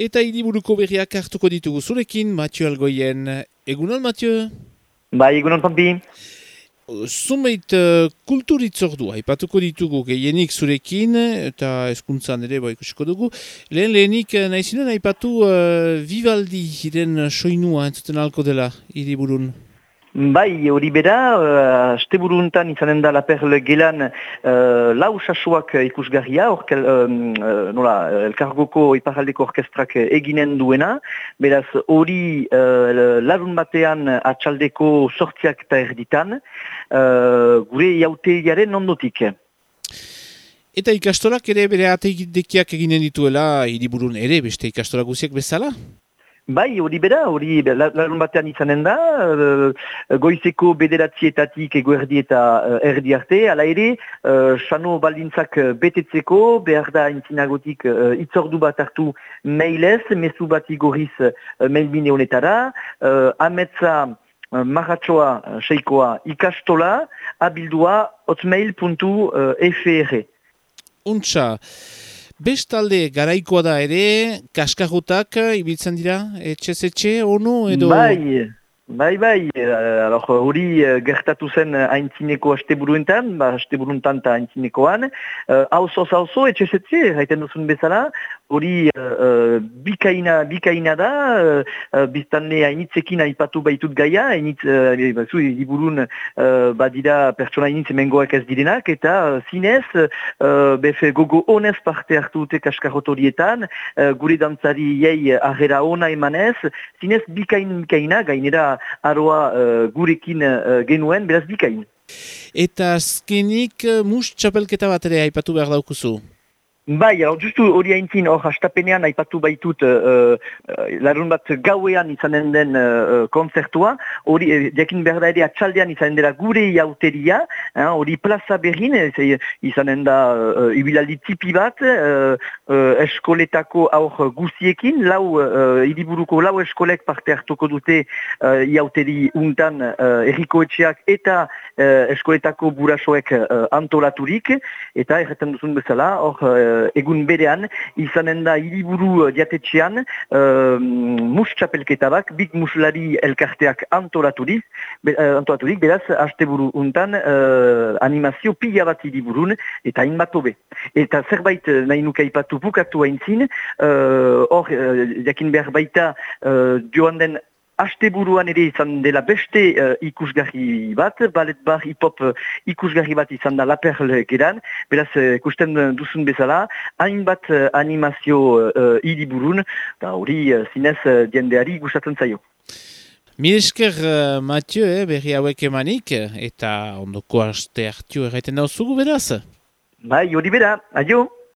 Eta hiriburuko berriak hartuko ditugu zurekin, Mathieu Algoien. Egunon, Mathieu? Bai, egunon Pampi. Zumeit kulturitzordua, aipatuko ditugu gehienik zurekin, eta hezkuntzan ere ikusiko dugu. Lehenik nahizinen aipatu Vivaldi hiren soinua entzuten alko dela hiriburun. Bai, hori bera, asteburuntan izanen da La Perle gelan lau sasuak ikusgarria, elkargoko iparaldeko orkestrak eginen duena, beraz hori larun batean atxaldeko sortziak eta erditan, gure jauteiaren ondotik. Eta ikastolak ere bere ateidekiak eginen dituela hiriburun ere, beste ikastolak guziak bezala? Bai, hori bera, larun batean izanen da, goizeko bederatzietatik eguerdi eta erdi arte, ala ere, sano baldintzak betetzeko, behar da intzinagotik itzordu bat hartu mailez, mezu bat igorriz mailbine honetara, ametza marratxoa seikoa ikastola, abildua hotmail.fr. Untxa. Bestalde garaikoa da ere, kaskarotak ibiltzen dira, etxe, ono edo? Bai. Hori gertatu zen haintzineko asteburuentan, asteburuntan eta haintzinekoan. Hauzo, etxe, haiten duzun bezala, hori bikaina da, biztanle hainitzekin aipatu baitut gaia, hiriburun badira pertsona hainitz emengoak ez direnak, eta zinez, gogo honez parte hartu dute kaskarotorietan, gure dantzari jei arrera ona emanez, zinez bikaina, gainera aroa gurekin genuen, beraz bikain. Eta azkenik mus txapelketa bat ere aipatu behar daukuzu? Bai, justu hori haintzin, hastapenean aipatu baitut larun bat gauean izanen den konzertua, hori jakin behar da ere atxaldean izanen dela gure jauteria, hori plaza berrin, izanen da ibilaldi tipi bat, eskoletako aur guziekin, hiriburuko lau eskolek parte hartuko dute jauteri untan errikoetxeak eta eskoletako burasoek antolaturik, eta erretan duzun bezala, egun berean, izanen da hiriburu diatetxean mus txapelketa bak, big muslari elkarteak antolaturik, beraz, asteburu untan animazio pila bat hiriburun, eta hainbat hobe. Eta zerbait nahi nuke aipatu bukatu haintzin, jakin behar baita joan den asteburuan ere izan dela beste ikusgarri bat, ballet bar hip-hop ikusgarri bat izan da La Perle geran, beraz ikusten duzun bezala, hainbat animazio hiriburun, eta hori zinez diendeari gustatzen zaio. Mil esker, Mathieu, berri hauek emanik, eta ondoko aste hartio erraiten dauzugu beraz? Bai, hori bera, adio!